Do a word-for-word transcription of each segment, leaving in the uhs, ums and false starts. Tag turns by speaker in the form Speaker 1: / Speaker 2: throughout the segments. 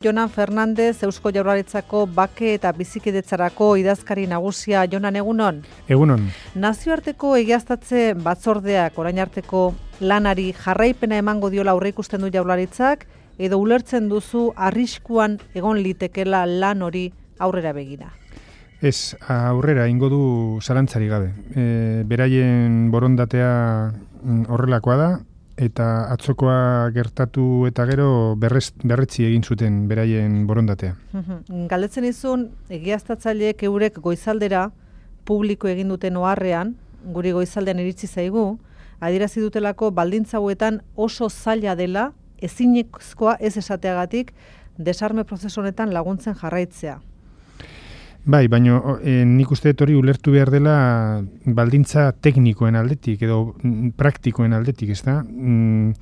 Speaker 1: Jonan Fernandez, Eusko Jaurlaritzako bake eta bizikidetzarako idazkari nagusia. Jonan, egunon?
Speaker 2: Egunon.
Speaker 1: Nazioarteko egiaztatze batzordeak orain arteko lanari jarraipena emango diola aurreikusten du Jaurlaritzak, edo ulertzen duzu arriskuan egon litekela lan hori aurrera begira?
Speaker 2: Ez, aurrera ingo du zalantzari gabe. E, beraien borondatea horrelakoa da, eta atzokoa gertatu eta gero berrez, berretzi egin zuten beraien borondatea.
Speaker 1: Galdetzen izun, egiaztatzaileek eurek goizaldera publiko egin duten oharrean, guri goizaldean iritsi zaigu, adierazi dutelako baldintza hauetan oso zaila dela, ezinezkoa ez esateagatik, desarme prozesu honetan laguntzen jarraitzea.
Speaker 2: Bai, baina e, nik uste hori ulertu behar dela baldintza teknikoen aldetik edo praktikoen aldetik, ez da? Mm,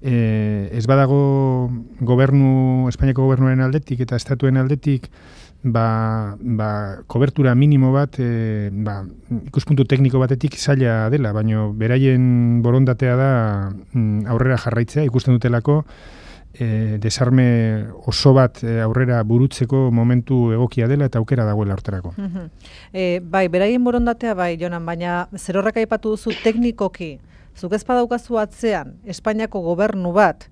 Speaker 2: e, ez badago gobernu, Espainiako gobernuaren aldetik eta estatuen aldetik ba, ba, kobertura minimo bat e, ba, ikuspuntu tekniko batetik zaila dela, baina beraien borondatea da mm, aurrera jarraitzea, ikusten dutelako E, desarme oso bat e, aurrera burutzeko momentu egokia dela eta aukera dagoela horterako.
Speaker 1: Uh-huh. E, bai, beraien borondatea bai, Jonan, baina zer horrek aipatu duzu teknikoki, zuk ez badaukazu atzean, Espainiako gobernu bat,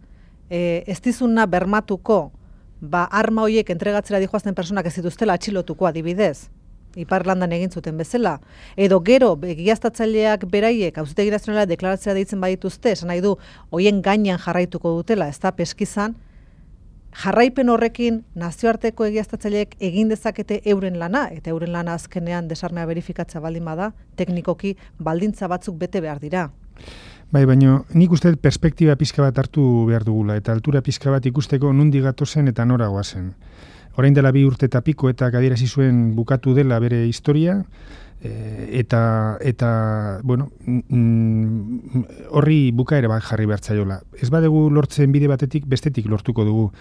Speaker 1: e, ez dizuna bermatuko, ba, arma horiek entregatzera dijoazten personak ez dituztela atxilotuko adibidez, Iparlandan egin zuten bezala, edo gero egiaztatzaileak beraiek Auzitegi Nazionala deklaratzera deitzen badituzte, esan nahi du, hoien gainean jarraituko dutela, ez da peskizan, jarraipen horrekin nazioarteko egiaztatzaileek egin dezakete euren lana, eta euren lana azkenean desarmea verifikatzea baldin bada, teknikoki baldintza batzuk bete behar dira.
Speaker 2: Bai, baina nik uste perspektiba pixka bat hartu behar dugula, eta altura pixka bat ikusteko nundi gatozen eta nora goazen. Orain dela bi urte eta piko eta adierazi zuen bukatu dela bere historia, e, eta, eta bueno, mm, horri bukaera bat jarri behar zaiola. Ez badegu lortzen bide batetik, bestetik lortuko dugu.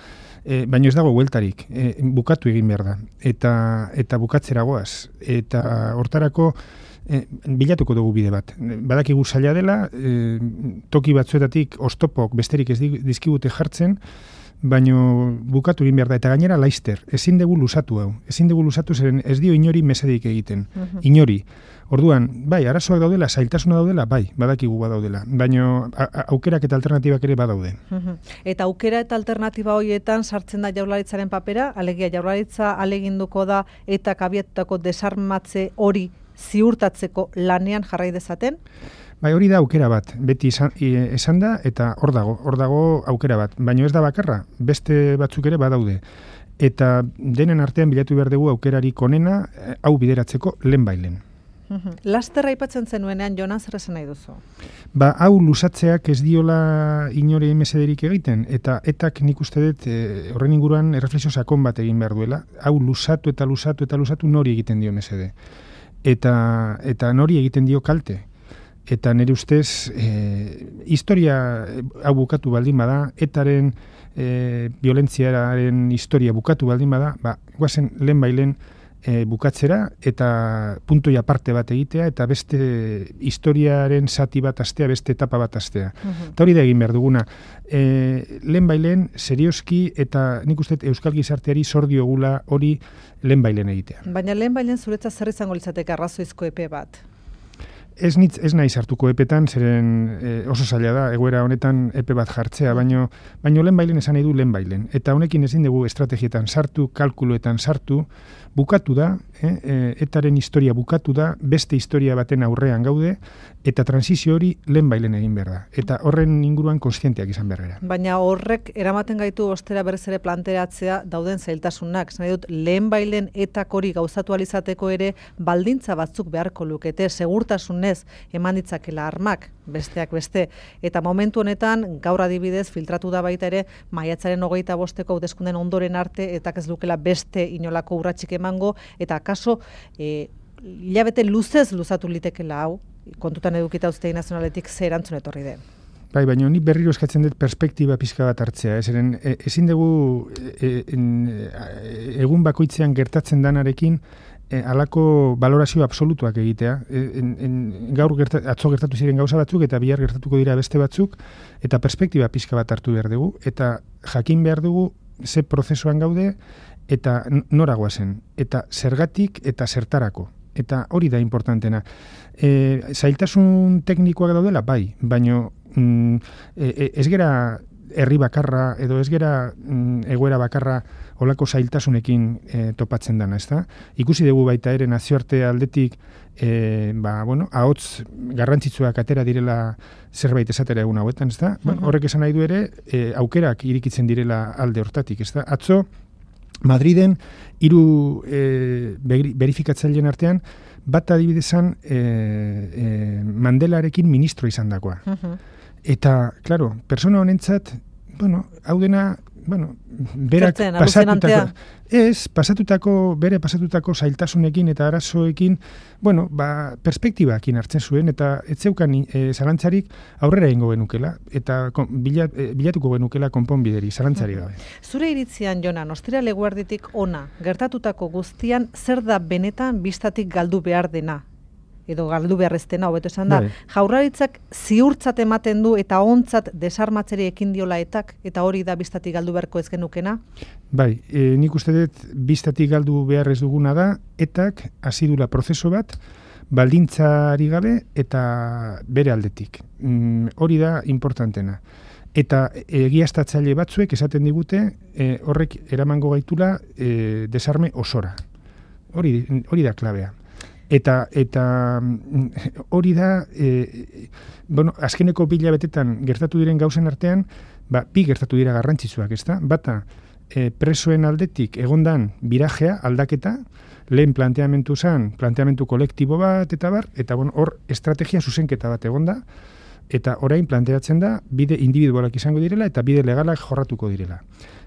Speaker 2: E, baina ez dago bueltarik, e, bukatu egin behar da, eta, eta bukatzera goaz. Eta hortarako e, bilatuko dugu bide bat. Badakigu zaila dela, e, toki batzuetatik oztopok besterik ez dizkigute jartzen, baina bukatu egin behar da, eta gainera laister, ezin dugu lusatu hau, ezin dugu lusatu zeren ez dio inori mesedik egiten, uh-huh. inori. Orduan, bai, arazoak daudela, zailtasuna daudela, bai, badakigu badaudela, baina aukerak eta alternatibak ere badaude.
Speaker 1: Uh-huh. Eta aukera eta alternatiba horietan sartzen da Jaurlaritzaren papera, alegia Jaurlaritza aleginduko da eta kabiatutako desarmatze hori ziurtatzeko lanean jarrai dezaten?
Speaker 2: Bai, hori da aukera bat, beti esan, esan da, eta hor dago, hor dago aukera bat. Baina ez da bakarra, beste batzuk ere badaude. Eta denen artean bilatu behar dugu aukerarik onena, hau bideratzeko lehen bailen.
Speaker 1: Uh-huh. Laster aipatzen zenuenean, Jonan, zer esan nahi duzu?
Speaker 2: Ba, hau lusatzeak ez diola inore mesederik egiten, eta etak nik uste dut e, horren inguruan erreflexio sakon bat egin behar duela. Hau lusatu eta lusatu eta lusatu nori egiten dio mesede. Eta, eta nori egiten dio kalte. Eta nire ustez, e, historia hau bukatu baldin bada, etaren e, violentziaren historia bukatu baldin bada, ba, guazen lehen bailen e, bukatzera eta puntoi aparte bat egitea eta beste historiaren zati bat astea, beste etapa bat astea. Uh-huh. Eta hori da egin behar duguna. E, lehen bailen, serioski eta nik uste euskal gizarteari zordiogula hori lehen bailen egitea.
Speaker 1: Baina lehen bailen zuretzat zer izango litzateke arrazoizko epe bat?
Speaker 2: Ez nitz, ez nahi sartuko epetan, zeren e, oso zaila da, egoera honetan epe bat jartzea, baino, baino lehen bailen esan nahi du lehen bailen. Eta honekin ezin dugu estrategietan sartu, kalkuloetan sartu, bukatu da, eh, e, etaren historia bukatu da, beste historia baten aurrean gaude, eta transizio hori lehen bailen egin behar da. Eta horren inguruan kontzienteak izan behar gara.
Speaker 1: Baina horrek eramaten gaitu ostera berriz ere planteratzea dauden zailtasunak. Esan nahi dut, lehen bailen etak hori gauzatu alizateko ere baldintza batzuk beharko lukete, segurtasunez eman ditzakela armak, besteak beste. Eta momentu honetan, gaur adibidez, filtratu da baita ere, maiatzaren hogeita bosteko hauteskunden ondoren arte, eta ez lukela beste inolako urratsik emango, eta akaso, e, hilabete luzez luzatu litekela hau, kontutan edukita Auzitegi Nazionaletik ze erantzun etorri den.
Speaker 2: Bai, baina ni berriro eskatzen dut perspektiba pixka bat hartzea. Ezeren, e, ezin dugu e, e, egun bakoitzean gertatzen danarekin e, alako valorazio absolutuak egitea. E, en, en, gaur gerta, atzo gertatu ziren gauza batzuk eta bihar gertatuko dira beste batzuk, eta perspektiba pixka bat hartu behar dugu, eta jakin behar dugu ze prozesuan gaude, eta nora goazen, eta zergatik eta zertarako. Eta hori da importantena. E, zailtasun teknikoak daudela, bai, baina mm, e, ez gera herri bakarra, edo ez gera mm, egoera bakarra olako zailtasunekin e, topatzen dana, ez da? Ikusi dugu baita ere nazioarte aldetik, e, ba, bueno, ahots garrantzitsuak atera direla zerbait esatera egun hauetan, ez da? Uh-huh. Bueno, horrek esan nahi du ere, e, aukerak irikitzen direla alde hortatik, ez da? Atzo, Madriden, hiru e, berifikatzaileen artean, bat adibidezan e, e, Mandelarekin ministro izan dakoa. Uh-huh. Eta, klaro, persona honentzat, bueno, hau dena, bueno, berak
Speaker 1: Zertzen,
Speaker 2: pasatutako, ez, pasatutako, bere pasatutako zailtasunekin eta arazoekin, bueno, ba, perspektibakin hartzen zuen, eta ez zeukan e, zalantzarik aurrera ingo genukela, eta kon, bilat, e, bilatuko genukela konponbideri, zalantzarik gabe.
Speaker 1: Zure iritzian, Jonan, ostira leguarditik ona, gertatutako guztian, zer da benetan bistatik galdu behar dena? Edo galdu beharreztena, hobeto esan da, Jaurlaritzak ziurtzat ematen du eta ontzat desarmatzeri ekin diola etak, eta hori da bistatik galdu beharko ez genukena?
Speaker 2: Bai, e, nik uste dut bistatik galdu behar ez duguna da, etak hasi dula prozesu bat, baldintzari gabe eta bere aldetik. Mm, hori da importantena. Eta egiaztatzaile batzuek esaten digute, e, horrek eramango gaitula e, desarme osora. Hori, hori da klabea. Eta eta hori da, e, bueno, azkeneko bila betetan gertatu diren gauzen artean, ba, bi gertatu dira garrantzitsuak, ezta? Bata, e, presoen aldetik egondan birajea, aldaketa, lehen planteamentu zen, planteamentu kolektibo bat, eta bar, eta bueno, hor estrategia zuzenketa bat egonda, eta orain planteatzen da, bide individualak izango direla, eta bide legalak jorratuko direla.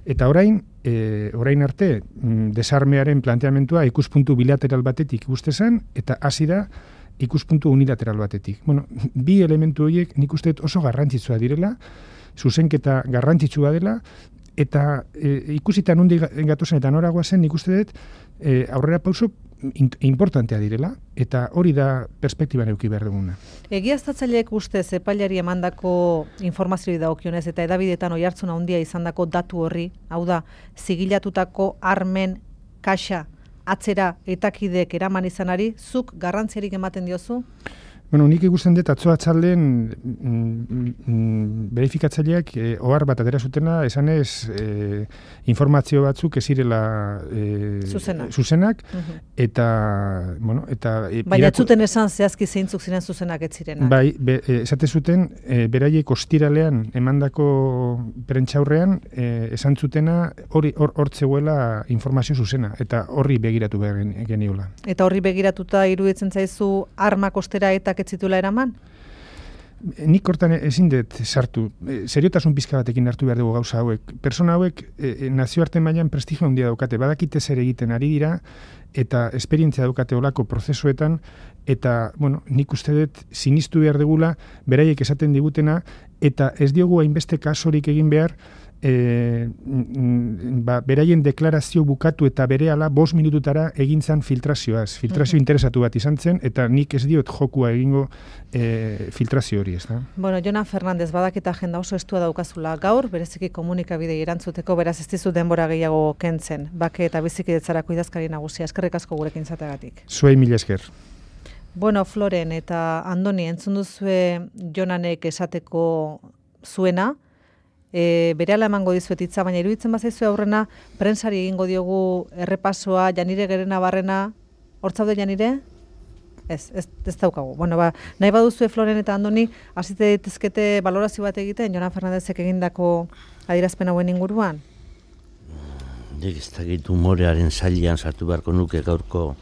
Speaker 2: Eta orain, e, orain arte, mm, desarmearen planteamentua ikuspuntu bilateral batetik ikuste zen, eta hasi da ikuspuntu unilateral batetik. Bueno, bi elementu horiek nik uste oso garrantzitsua direla, zuzenketa garrantzitsua dela, eta e, ikusita nundi gatozen eta noragoa zen, nik uste dut e, aurrera pauso importantea direla, eta hori da perspektiban eduki behar duguna.
Speaker 1: Egiaztatzaileek ustez epailari emandako informazioi dagokionez eta edabidetan oihartzun handia izandako datu horri, hau da, zigilatutako armen kaxa atzera etakidek eraman izanari, zuk garrantziarik ematen diozu?
Speaker 2: Bueno, nik ikusten dut atzo atzalden mm, mm, berifikatzaileak eh, ohar bat atera zutena, esanez eh, informazio batzuk ez zirela eh,
Speaker 1: zuzenak,
Speaker 2: zuzenak
Speaker 1: uh-huh.
Speaker 2: eta, bueno, eta... E,
Speaker 1: baina ez zuten esan zehazki zeintzuk ziren zuzenak ez zirenak.
Speaker 2: Bai, be, e, esate zuten, e, beraiek ostiralean emandako prentxaurrean e, esan zutena hori hor hortzeguela informazio zuzena, eta horri begiratu behar geniola. Eta
Speaker 1: horri begiratuta iruditzen zaizu armak ostera eta ez zituela eraman?
Speaker 2: Nik hortan ezin dut sartu. E, seriotasun pizka batekin hartu behar dugu gauza hauek. Persona hauek e, nazioarte mailan prestigio handia daukate, badakite zer egiten ari dira, eta esperientzia daukate olako prozesuetan, eta, bueno, nik uste dut sinistu behar dugula, beraiek esaten digutena, eta ez diogu hainbeste kasorik egin behar, E, ba, beraien deklarazio bukatu eta berehala bost minututara egin zan filtrazioaz. Filtrazio uh-huh. interesatu bat izan zen, eta nik ez diot jokua egingo e, filtrazio hori, ez da?
Speaker 1: Bueno, Jonan Fernandez, badaketa agenda oso estua daukazula gaur, bereziki komunikabidei erantzuteko, beraz ez dizu denbora gehiago kentzen, bake eta bizikidetzarako idazkari nagusia. Eskerrik asko gurekin izateagatik.
Speaker 2: Zuei mila esker.
Speaker 1: Bueno, Floren eta Andoni, entzun duzue Jonanek esateko zuena, E, berehala emango dizuet hitza, baina iruditzen bazaizu aurrena, prentsari egingo diogu errepasoa, Janire Gerena Barrena, hortzaude Janire? Ez, ez, ez daukagu. Bueno, ba, nahi baduzue Floren eta Andoni, hasite ditezkete balorazio bat egiten, Jonan Fernandezek egindako adierazpen hauen inguruan?
Speaker 3: Nik ez dakit humorearen zailean sartu beharko nuke gaurko